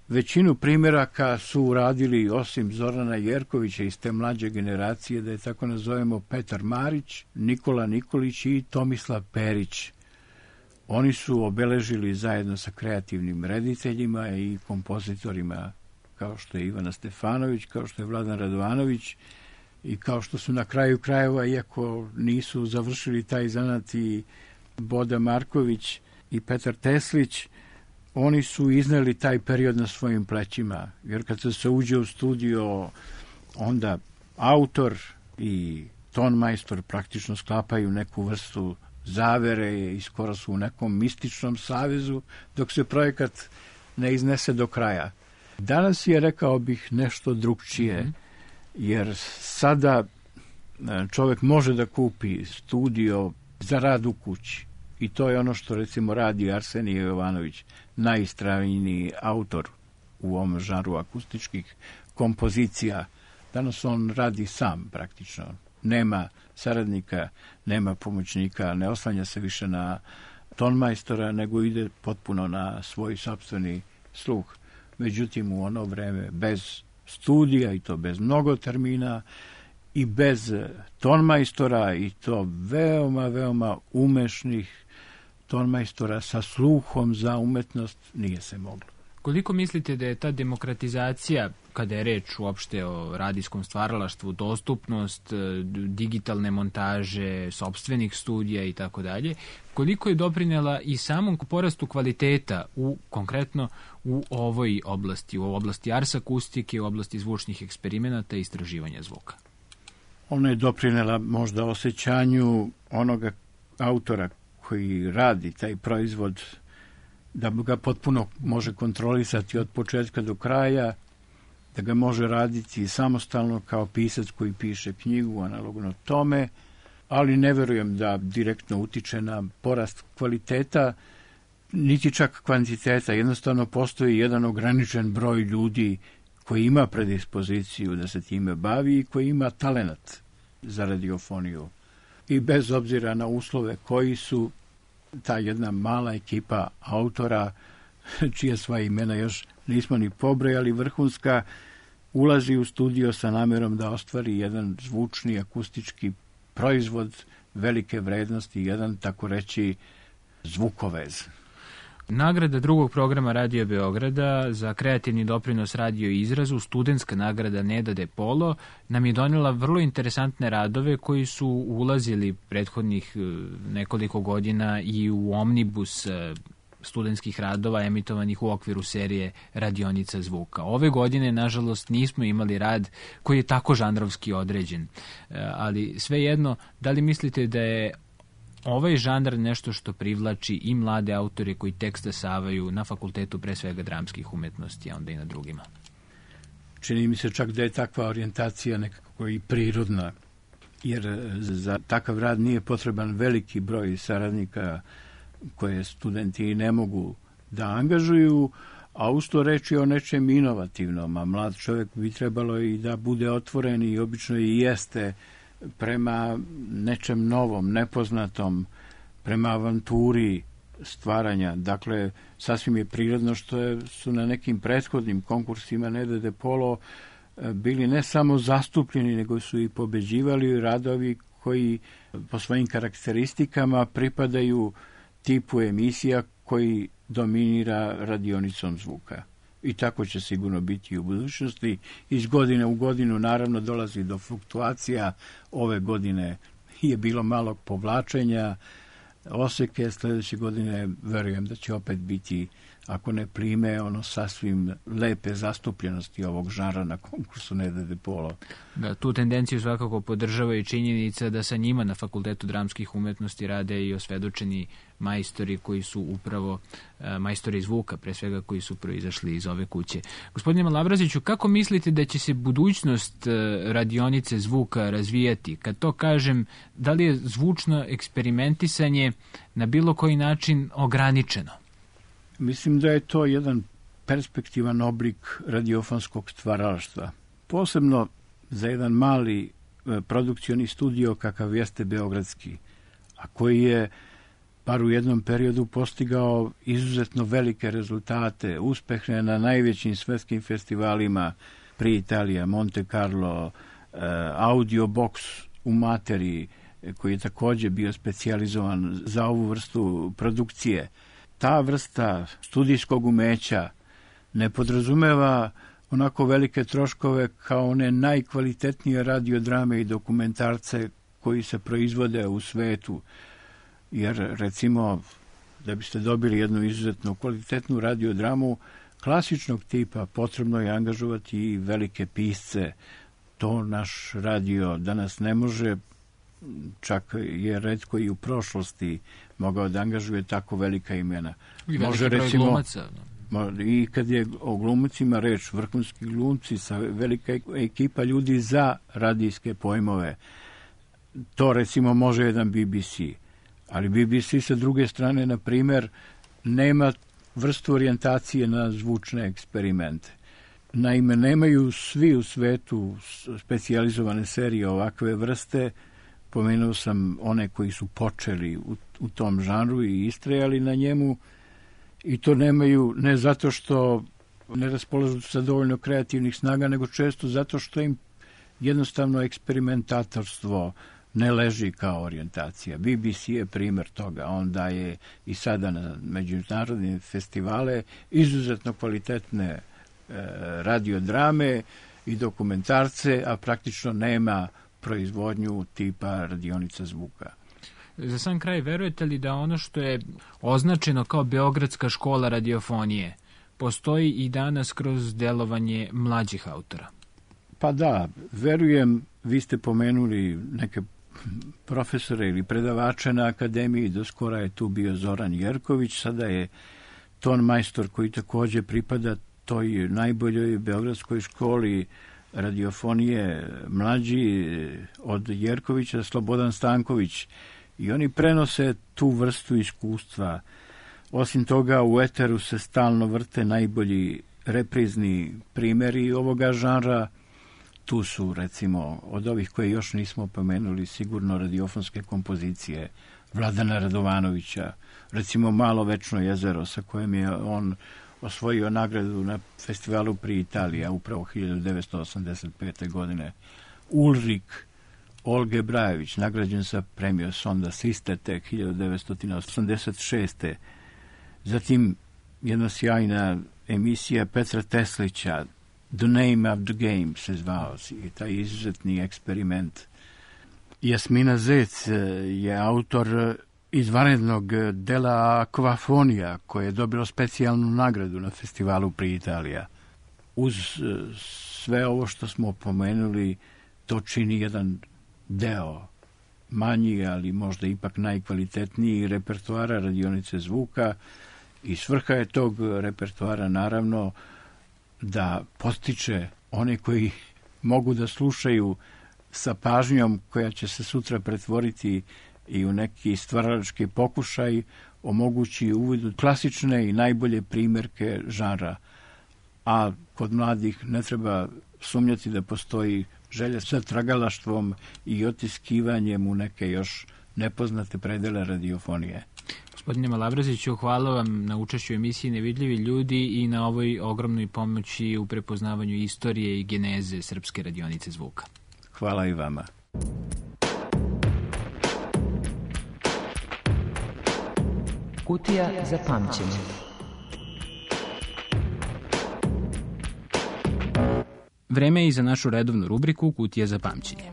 većinu primjeraka su uradili, osim Zorana Jerkovića iz te mlađe generacije, da je tako nazovemo, Petar Marić, Nikola Nikolić i Tomislav Perić. Oni su obeležili zajedno sa kreativnim rediteljima i kompozitorima kao što je Ivana Stefanović, kao što je Vladan Radovanović i kao što su na kraju krajeva, iako nisu završili taj zanat, i Boda Marković i Petar Teslić, oni su izneli taj period na svojim plećima, jer kad se uđe u studio, onda autor i ton majstor praktično sklapaju neku vrstu zavere i skoro su u nekom mističnom savezu, dok se projekat ne iznese do kraja. Danas je, rekao bih, nešto drugčije, jer sada čovjek može da kupi studio za rad u kući. I to je ono što, recimo, radi Arsenije Jovanović, najistrajniji autor u ovom žanru akustičkih kompozicija. Danas on radi sam praktično. Nema saradnika, nema pomoćnika, ne oslanja se više na tonmajstora, nego ide potpuno na svoj sopstveni sluh. Međutim, u ono vreme bez studija, i to bez mnogo termina, i bez tonmajstora, i to veoma, veoma umešnih tonmajstora sa sluhom za umetnost, nije se moglo. Koliko mislite da je ta demokratizacija, kada je reč uopšte o radijskom stvaralaštvu, dostupnost digitalne montaže, sopstvenih studija i tako dalje, koliko je doprinela i samom porastu kvaliteta u, konkretno u ovoj oblasti, u oblasti ars akustike, u oblasti zvučnih eksperimenata i istraživanja zvuka? Ona je doprinela možda osjećanju onoga autora koji radi taj proizvod, da ga potpuno može kontrolisati od početka do kraja, da ga može raditi samostalno kao pisac koji piše knjigu, analogno tome, ali ne verujem da direktno utiče na porast kvaliteta, niti čak kvantiteta. Jednostavno postoji jedan ograničen broj ljudi koji ima predispoziciju da se time bavi i koji ima talenat za radiofoniju. I bez obzira na uslove koji su, ta jedna mala ekipa autora, čije sva imena još nismo ni pobrojali, vrhunska, ulazi u studio sa namerom da ostvari jedan zvučni akustički proizvod velike vrednosti, jedan, tako reći, zvukovez. Nagrada drugog programa Radio Beograda za kreativni doprinos radio izrazu, studentska nagrada Neda de Polo, nam je donela vrlo interesantne radove koji su ulazili prethodnih nekoliko godina i u omnibus studentskih radova emitovanih u okviru serije Radionica zvuka. Ove godine, nažalost, nismo imali rad koji je tako žanrovski određen. Ali svejedno, da li mislite da je ovaj žanr nešto što privlači i mlade autore koji tek stasavaju na fakultetu pre svega dramskih umetnosti, a onda i na drugima? Čini mi se čak da je takva orijentacija nekako i prirodna, jer za takav rad nije potreban veliki broj saradnika koje studenti ne mogu da angažuju, a usto reći o nečem inovativnom, a mlad čovjek bi trebalo i da bude otvoren i obično i jeste prema nečem novom, nepoznatom, prema avanturi stvaranja. Dakle, sasvim je prirodno što je, su na nekim prethodnim konkursima Neda de Polo bili ne samo zastupljeni, nego su i pobeđivali radovi koji po svojim karakteristikama pripadaju tipu emisija koji dominira radionicom zvuka. I tako će sigurno biti u budućnosti. Iz godine u godinu naravno dolazi do fluktuacija. Ove godine je bilo malo povlačenja oseke, sljedeće godine verujem da će opet biti, ako ne plime, ono sasvim lepe zastupljenosti ovog žanra na konkursu Neda de Polo. Da, tu tendenciju svakako podržava i činjenica da sa njima na Fakultetu dramskih umetnosti rade i osvedočeni majstori koji su upravo majstori zvuka, pre svega koji su proizašli iz ove kuće. Gospodine Malabraziću, kako mislite da će se budućnost radionice zvuka razvijati? Kad to kažem, da li je zvučno eksperimentisanje na bilo koji način ograničeno? Mislim da je to jedan perspektivan oblik radiofonskog stvaralaštva. Posebno za jedan mali produkcioni studio kakav jeste beogradski, a koji je bar u jednom periodu postigao izuzetno velike rezultate, uspehe na najvećim svetskim festivalima, pri Italija, Monte Carlo, Audio Box u Materi, koji je također bio specijalizovan za ovu vrstu produkcije. Ta vrsta studijskog umeća ne podrazumeva onako velike troškove kao one najkvalitetnije radiodrame i dokumentarce koji se proizvode u svetu. Jer, recimo, da biste dobili jednu izuzetno kvalitetnu radiodramu klasičnog tipa, potrebno je angažovati i velike pisce. To naš radio danas ne može, čak je retko i u prošlosti mogao da angažuje tako velika imena. I može, recimo, glumaca. I kad je o glumcima reč, vrhunski glumci sa velika ekipa ljudi za radijske pojmove. To, recimo, može jedan B B C. Ali B B C sa druge strane, na primjer, nema vrstu orijentacije na zvučne eksperimente. Naime, nemaju svi u svetu specijalizovane serije ovakve vrste. Pomenuo sam one koji su počeli u, u tom žanru i istrajali na njemu, i to nemaju ne zato što ne raspolažu sa dovoljno kreativnih snaga, nego često zato što im jednostavno eksperimentatorstvo ne leži kao orijentacija. B B C je primjer toga. On daje i sada na međunarodne festivale izuzetno kvalitetne e, radiodrame i dokumentarce, a praktično nema proizvodnju tipa radionica zvuka. Za sam kraj, verujete li da ono što je označeno kao Beogradska škola radiofonije postoji i danas kroz delovanje mlađih autora? Pa da, verujem. Vi ste pomenuli neke profesore ili predavače na akademiji, do skora je tu bio Zoran Jerković, sada je ton majstor koji također pripada toj najboljoj beogradskoj školi radiofonije, mlađi od Jerkovića, Slobodan Stanković, i oni prenose tu vrstu iskustva. Osim toga, u eteru se stalno vrte najbolji reprizni primjeri ovoga žanra. Tu su, recimo, od ovih koje još nismo pomenuli, sigurno radiofonske kompozicije Vladana Radovanovića, recimo Malo večno jezero, sa kojim je on osvojio nagradu na festivalu pri Italija, upravo hiljadu devetsto osamdeset pete. godine. Ulrik Olge Brajević, nagrađen sa premijom Sonda Siste tek hiljadu devetsto osamdeset šeste. Zatim jedna sjajna emisija Petra Teslića, The Name of the Game se zvao, i taj izuzetni eksperiment. Jasmina Zec je autor izvanrednog dela Akvafonija, koje je dobilo specijalnu nagradu na festivalu pri Italija. Uz sve ovo što smo pomenuli, to čini jedan deo, manji, ali možda ipak najkvalitetniji repertoara radionice zvuka, i svrha je tog repertoara naravno da postiče one koji mogu da slušaju sa pažnjom koja će se sutra pretvoriti i u neki stvaralački pokušaj, omogući uvid u klasične i najbolje primjerke žanra. A kod mladih ne treba sumnjati da postoji želja sa tragalaštvom i otiskivanjem u neke još nepoznate predele radiofonije. Gospodine Malabraziću, hvala vam na učešću emisiji Nevidljivi ljudi i na ovoj ogromnoj pomoći u prepoznavanju istorije i geneze Srpske radionice zvuka. Hvala i vama. Kutija za pamćenje. Vreme je i za našu redovnu rubriku Kutija za pamćenje.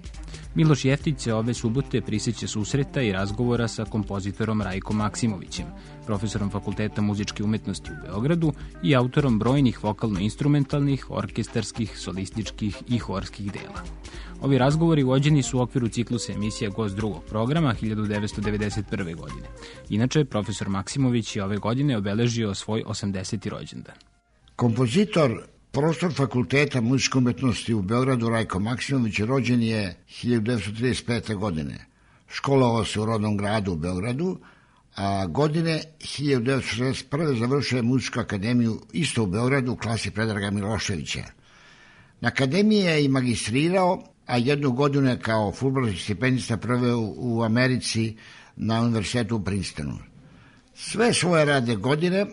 Miloš Jeftić se ove subote prisjeća susreta i razgovora sa kompozitorom Rajkom Maksimovićem, profesorom Fakulteta muzičke umetnosti u Beogradu i autorom brojnih vokalno-instrumentalnih, orkestarskih, solističkih i horskih dela. Ovi razgovori vođeni su u okviru ciklusa emisija Gost drugog programa hiljadu devetsto devedeset prve. godine. Inače, profesor Maksimović je ove godine obeležio svoj osamdeseti rođendan. Kompozitor, profesor Fakulteta muzičke umetnosti u Beogradu Rajko Maksimović rođen je hiljadu devetsto trideset pete. godine. Školovao se u rodnom gradu u Beogradu, a godine hiljadu devetsto šezdeset prve. završio je muzičku akademiju isto u Beogradu u klasi Predraga Miloševića. Na akademiji je i magistrirao, a jednu godinu je kao fulbrightovski stipendista proveo u Americi na univerzitetu u Princetonu. Sve svoje radne godine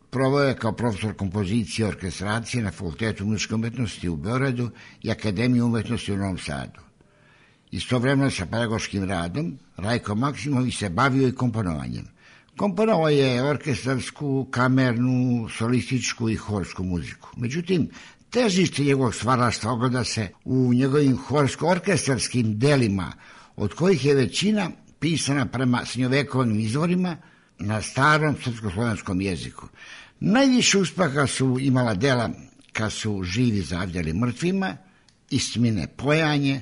proveo je kao profesor kompozicije i orkestracije na Fakultetu muzičke umetnosti u Beogradu i Akademiju umetnosti u Novom Sadu. Istovremeno sa pedagoškim radom, Rajko Maksimović se bavio i komponovanjem. Komponovao je orkestarsku, kamernu, solističku i horsku muziku. Međutim, težište njegovog stvaralaštva ogleda se u njegovim horsko-orkestarskim delima, od kojih je većina pisana prema srednjovekovnim izvorima na starom srpsko-slovenskom jeziku. Najviše uspeha su imala dela Kad su živi zavdjeli mrtvima, Istmine pojanje,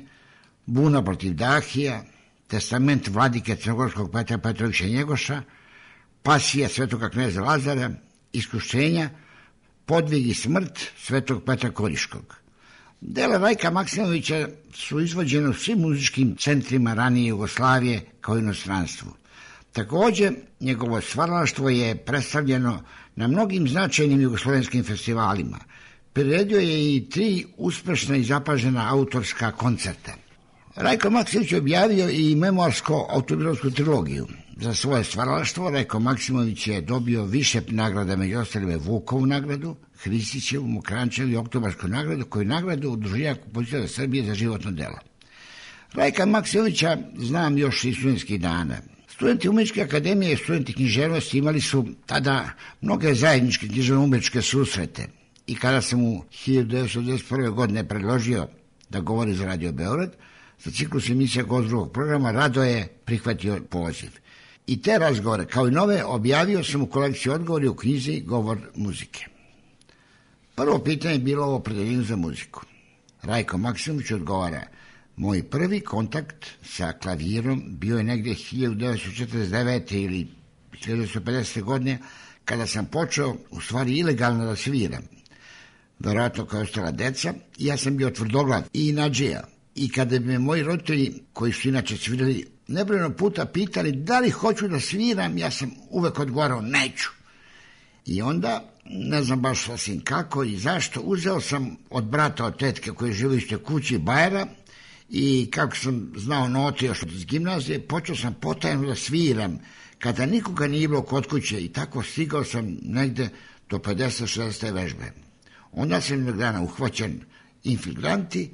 Buna protiv Dahija, Testament vladike crnogorskog Petra Petrovića Njegoša, Pasija svetoga kneza Lazara, Iskušenja, Podvig i smrt svetog Petra Koriškog. Dela Rajka Maksimovića su izvođene u svim muzičkim centrima ranije Jugoslavije kao i inostranstvu. Također, njegovo stvaralaštvo je predstavljeno na mnogim značajnim jugoslovenskim festivalima. Priredio je i tri uspešna i zapažena autorska koncerta. Rajko Maksimović je objavio i memoarsko-autobiografsku trilogiju. Za svoje stvaralaštvo Rajko Maksimović je dobio više nagrada, među ostalima Vukovu nagradu, Hristićevu, Mokrančevu i Oktobarsku nagradu, koju nagradu Udruženja kompozitora Srbije za životno delo. Rajka Maksimovića znam još iz studentskih dana. Studenti Umeničke akademije i studenti književnosti imali su tada mnoge zajedničke književno-umeničke susrete. I kada sam mu hiljadu devetsto devedeset prve. godine predložio da govori za Radio Beograd, za ciklus emisija Gost drugog programa, rado je prihvatio poziv. I te razgovore, kao i nove, objavio sam u kolekciji odgovori u knjizi Govor muzike. Prvo pitanje je bilo o opredeljenju za muziku. Rajko Maksimović odgovara: moj prvi kontakt sa klavirom bio je negdje hiljadu devetsto četrdeset devete. ili hiljadu devetsto pedesete. godine, kada sam počeo u stvari ilegalno da sviram. Vjerojatno kao ostala deca, i ja sam bio tvrdoglav i inađija. I kada bi me moji roditelji, koji su inače svirali, nebrojeno puta pitali da li hoću da sviram, ja sam uvek odgovarao neću. I onda, ne znam baš sasvim kako i zašto, uzeo sam od brata, od tetke koji žive u istoj kući, bajera, i kako sam znao note još iz gimnazije, počeo sam potajno da sviram, kada nikoga nije bilo kod kuće, i tako stigao sam negde do pedeset šezdeset vežbe. Onda sam jednog dana uhvaćen infiltranti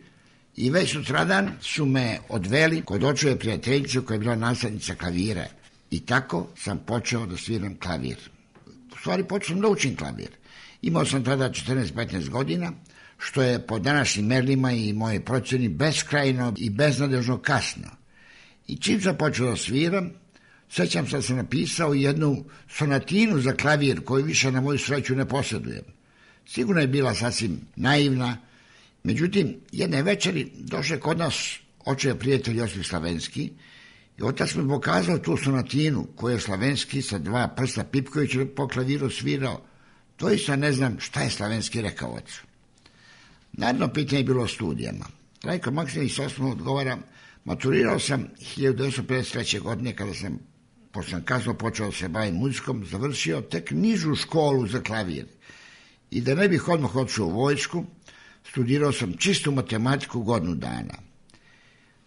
I već sutradan su me odveli kod očeve prijateljice koja je bila nastavnica klavira. I tako sam počeo da sviram klavir. U stvari počeo sam da učim klavir. Imao sam tada četrnaest petnaest godina, što je po današnjim merlima i moje procjeni beskrajno i beznadežno kasno. I čim sam počeo da sviram, sećam se da sam napisao jednu sonatinu za klavir koju više na moju sreću ne posjedujem. Sigurno je bila sasvim naivna. Međutim, jedne večeri došao kod nas očev prijatelj Josip Slavenski i otac mi pokazao tu sonatinu koju je Slavenski sa dva prsta pipkajući po klaviru svirao. Doista ne znam šta je Slavenski rekao ocu. Najedno pitanje je bilo o studijama. Rajko Maksimović s osnovno odgovara, maturirao sam hiljadu devetsto pedeset treće. godine kada sam, pošto sam kasno počeo da se bavim muzikom, završio tek nižu školu za klavir. I da ne bih odmah otišao u vojsku, studirao sam čistu matematiku godinu dana.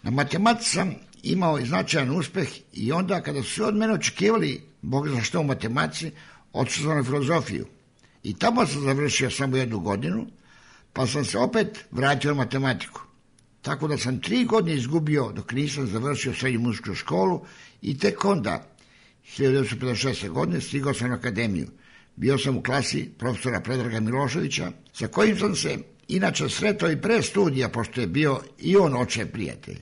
Na matematici sam imao i značajan uspeh i onda kada su od mene očekivali, Bog zna što u matematici, otišao sam na filozofiju. I tamo sam završio samo jednu godinu, pa sam se opet vratio na matematiku. Tako da sam tri godine izgubio dok nisam završio srednju muzičku školu i tek onda, hiljadu devetsto pedeset šeste. godine, stigao sam na akademiju. Bio sam u klasi profesora Predraga Miloševića, sa kojim sam se inače sretao i pre studija, pošto je bio i on očev prijatelj.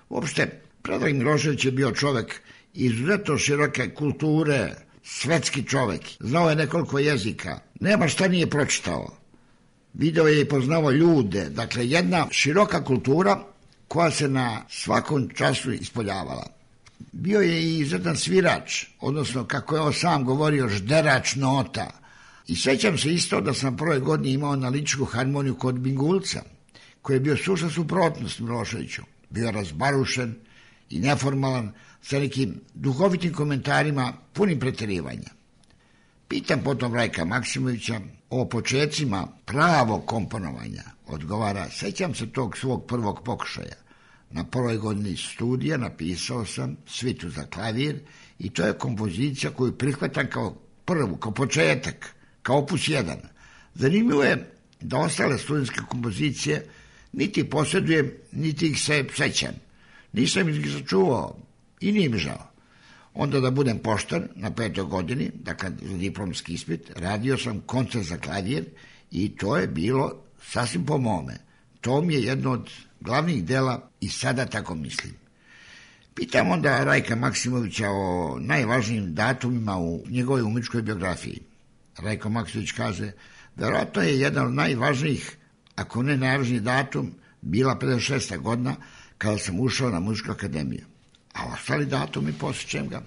Uopšte, Predrag Milošević je bio čovek izuzetno široke kulture, svetski čovek. Znao je nekoliko jezika, nema šta nije pročitao. Video je i poznao ljude, dakle jedna široka kultura koja se na svakom času ispoljavala. Bio je i izuzetan svirač, odnosno kako je on sam govorio, žderač nota. I sećam se isto da sam prve godine imao analitičku harmoniju kod Bingulca, koji je bio sušta suprotnost Miloševiću. Bio razbarušen i neformalan, sa nekim duhovitim komentarima punim preterivanja. Pitam potom Rajka Maksimovića o počecima pravog komponovanja. Odgovara, sećam se tog svog prvog pokušaja. Na prvoj godini studija napisao sam svitu za klavir i to je kompozicija koju prihvatam kao prvu, kao početak, kao opus jedan. Zanimljivo je da ostale studentske kompozicije niti posjedujem, niti ih se sećam. Nisam ih sačuvao i nije mi žao. Onda da budem pošten, na petoj godini, dakle za diplomski ispit, radio sam koncert za klavir i to je bilo sasvim po mome. To mi je jedno od glavnih dela i sada tako mislim. Pitam onda Rajka Maksimovića o najvažnijim datumima u njegovoj umetničkoj biografiji. Rajko Maksimović kaže, verovatno je jedan od najvažnijih, ako ne najvažniji datum, bila pedeset šesta. godina kada sam ušao na muzičku akademiju. A ostali datumi posjećam ga.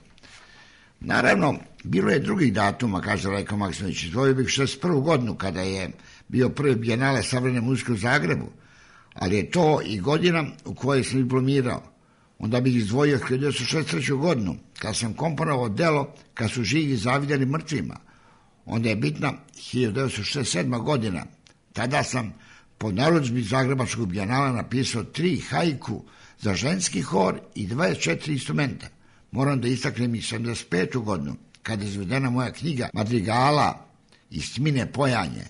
Naravno, bilo je drugih datuma, kaže Rajko Maksimović. Izdvojio bih šezdeset prvu. godinu kada je bio prvi bijenale savremene muzike u Zagrebu, ali je to i godina u kojoj sam diplomirao. Onda bih izdvojio hiljadu devetsto šezdeset treću. godinu, kada sam komponovao delo kad su živi zavidjeli mrtvima. Onda je bitna hiljadu devetsto šezdeset sedma. godina. Tada sam po narudžbi Zagrebačkog bijenala napisao tri haiku za ženski hor i dvadeset četiri instrumenta. Moram da istaknem i sedamdeset petu. godinu, kada je izvedena moja knjiga Madrigala iz Tmine pojanje.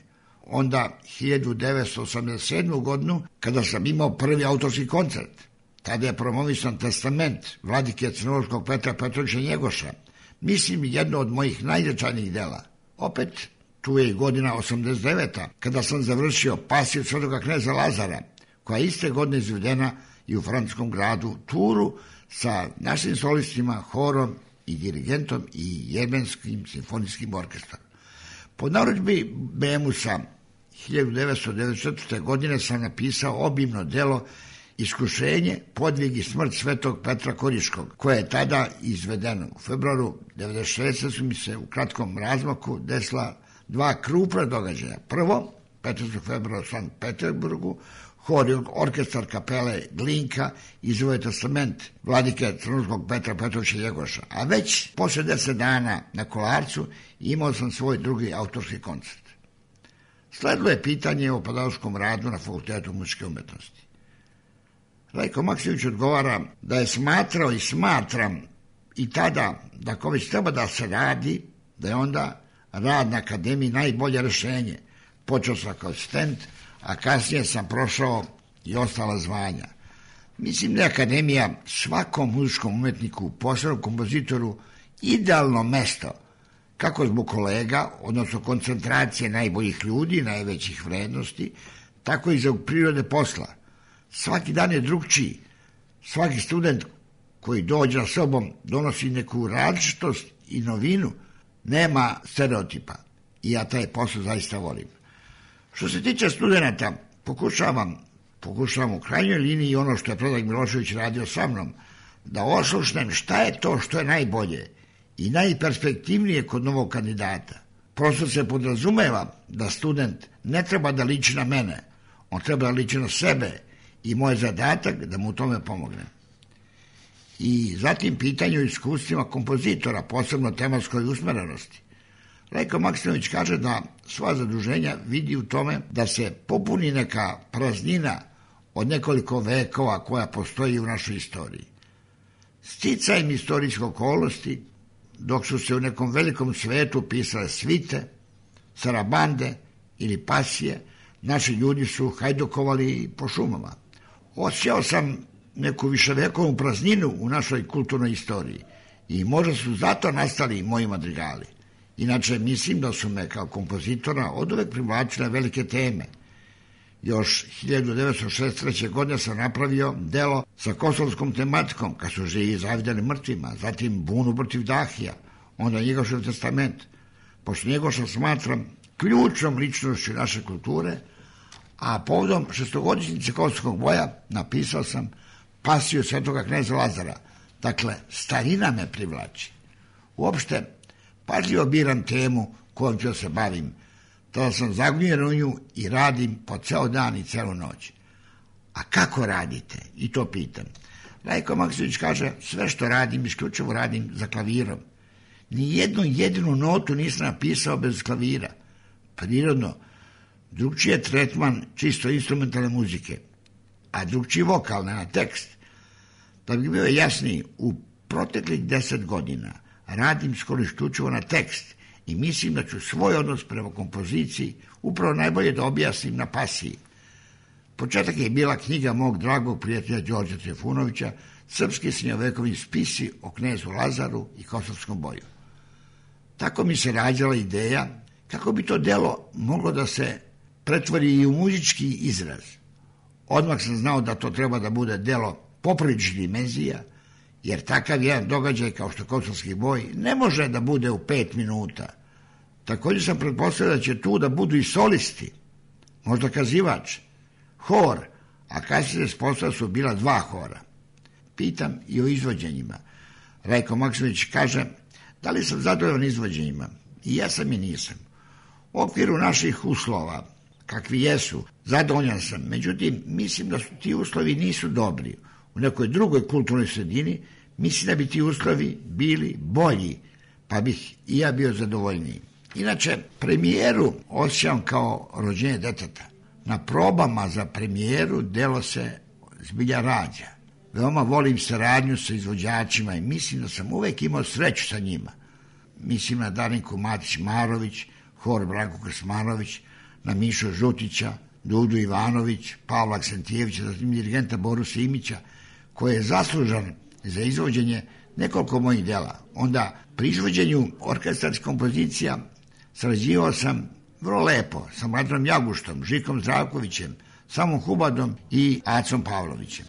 Onda hiljadu devetsto osamdeset sedmu. godinu, kada sam imao prvi autorski koncert. Tada je promovisan testament vladike crnogorskog Petra Petrovića Njegoša. Mislim jedno od mojih najznačajnijih dela. Opet, tu je i godina osamdeset deveta. kada sam završio Pasiju Svetog kneza Lazara, koja je iste godine izvedena i u francuskom gradu Turu sa našim solistima, horom i dirigentom i Jemenskim simfonijskim orkestrom. Po narudžbi Bemusa hiljadu devetsto devedeset četvrte. godine sam napisao obimno delo Iskušenje, podvig i smrt svetog Petra Koriškog, koje je tada izvedeno. U februaru devedeset šeste. su mi se u kratkom razmaku desila dva krupna događaja. Prvo, petnaestog februara u Sankt Peterburgu, hor i orkestar kapele Glinka izveo testament vladike crnogorskog Petra Petrovića Njegoša. A već posle deset dana na Kolarcu imao sam svoj drugi autorski koncert. Sledilo je pitanje o pedagoškom radu na Fakultetu muzičke umetnosti. Rajko Maksimović odgovara da je smatrao i smatram i tada da ako već treba da se radi, da je onda rad na akademiji najbolje rešenje. Počeo sam kao asistent, a kasnije sam prošao i ostala zvanja. Mislim da je akademija svakom muzičkom umetniku, posebno kompozitoru, idealno mesto, kako zbog kolega, odnosno koncentracije najboljih ljudi, najvećih vrednosti, tako i za prirode posla. Svaki dan je drugčiji. Svaki student koji dođe na sobom donosi neku različitost i novinu. Nema stereotipa. I ja taj posao zaista volim. Što se tiče studenta, pokušavam, pokušavam u krajnjoj liniji ono što je Predrag Milošević radio sa mnom, da oslušnem šta je to što je najbolje i najperspektivnije kod novog kandidata. Prosto se podrazumeva da student ne treba da liči na mene, on treba da liči na sebe i moj zadatak da mu u tome pomognem. I zatim pitanje o iskustvima kompozitora, posebno tematskoj usmerenosti. Rajko Maksimović kaže da sva zaduženja vidi u tome da se popuni neka praznina od nekoliko vekova koja postoji u našoj istoriji. Sticajem istorijske okolnosti, dok su se u nekom velikom svetu pisale svite, sarabande ili pasije, naši ljudi su hajdukovali po šumama. Osjećao sam neku viševekovnu prazninu u našoj kulturnoj istoriji i možda su zato nastali moji madrigali. Inače, mislim da su me kao kompozitora oduvek privlačile velike teme. Još hiljadu devetsto šezdeset treće. godine sam napravio delo sa kosovskom tematikom, kad su živi zavideli mrtvima, zatim Bunu protiv Dahija, onda Njegošev testament. Pošto Njegoša smatram ključnom ličnošću naše kulture, a povodom šestogodišnjice kosovskog boja napisao sam Pasiju svetoga kneza Lazara. Dakle, starina me privlači. Uopšte, pažljivo biram temu kojom ću se bavim. Tada sam zagnjen u nju i radim po ceo dan i celu noć. A kako radite? I to pitam. Rajko Maksimović kaže, sve što radim, isključivo radim za klavirom. Ni jednu jedinu notu nisam napisao bez klavira. Prirodno, drugčiji je tretman čisto instrumentalne muzike, a drugčiji vokalne na tekst. Da bi bio jasniji, u proteklih deset godina radim skoro isključivo na tekst i mislim da ću svoj odnos prema kompoziciji upravo najbolje da objasnim na Pasiji. Početak je bila knjiga mog dragog prijatelja Đorđa Trifunovića, Srpski srednjovekovni spisi o knezu Lazaru i kosovskom boju. Tako mi se rađala ideja kako bi to delo moglo da se pretvori i u muzički izraz. Odmah sam znao da to treba da bude delo popriličnih dimenzija, jer takav jedan događaj kao što kosovski boj ne može da bude u pet minuta. Također sam pretpostavio da će tu da budu i solisti, možda kazivač, hor, a kasnije spostavio su bila dva hora. Pitam i o izvođenjima. Rajko Maksimović kaže, da li sam zadovoljan izvođenjima? I ja sam i nisam. U okviru naših uslova, kakvi jesu, zadovoljan sam. Međutim, mislim da su ti uslovi nisu dobri. U nekoj drugoj kulturnoj sredini mislim da bi ti uslovi bili bolji, pa bih i ja bio zadovoljniji. Inače, premijeru osjećam kao rođenje deteta. Na probama za premijeru delo se zbilja rađa. Veoma volim saradnju sa izvođačima i mislim da sam uvek imao sreću sa njima. Mislim na Darinku Matić-Marović, hor Branko Krsmanović, na Mišu Žutića, Dudu Ivanović, Pavla Aksentijevića, zatim dirigenta Boru Simića, koji je zaslužan za izvođenje nekoliko mojih dela. Onda, pri izvođenju orkestarskih kompozicija sarađivao sam vrlo lepo sa Mladrom Jaguštom, Žikom Zdravkovićem, Samom Hubadom i Acom Pavlovićem.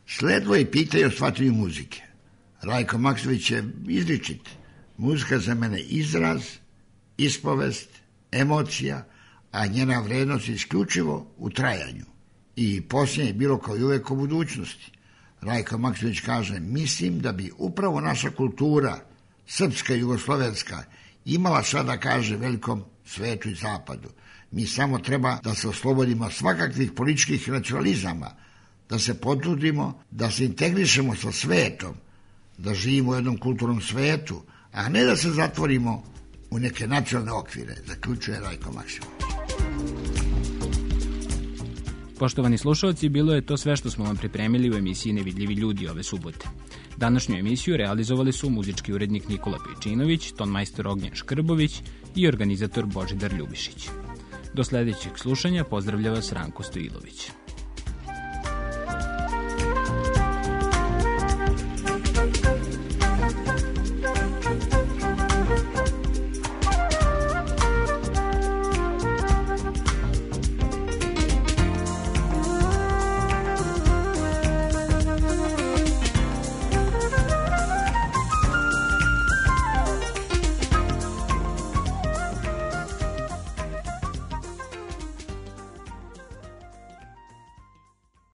Sledilo je pitanje o shvatanju muzike. Rajko Maksimović je izričit. Muzika za mene izraz, ispovest, emocija, a njena vrednost je isključivo u trajanju. I posljednje je bilo kao i uvek o budućnosti. Rajko Maksimović kaže, mislim da bi upravo naša kultura, srpska i jugoslovenska, imala šta da kaže velikom svetu i zapadu. Mi samo treba da se oslobodimo svakakvih političkih nacionalizama, da se potrudimo, da se integrišemo sa svetom, da živimo u jednom kulturnom svetu, a ne da se zatvorimo u neke nacionalne okvire, zaključuje Rajko Maksimović. Poštovani slušalci, bilo je to sve što smo vam pripremili u emisiji Nevidljivi ljudi ove subote. Današnju emisiju realizovali su muzički urednik Nikola Pejčinović, tonmajstor Ognjen Škrbović i organizator Božidar Ljubišić. Do sledećeg slušanja pozdravlja vas Ranko Stojilović.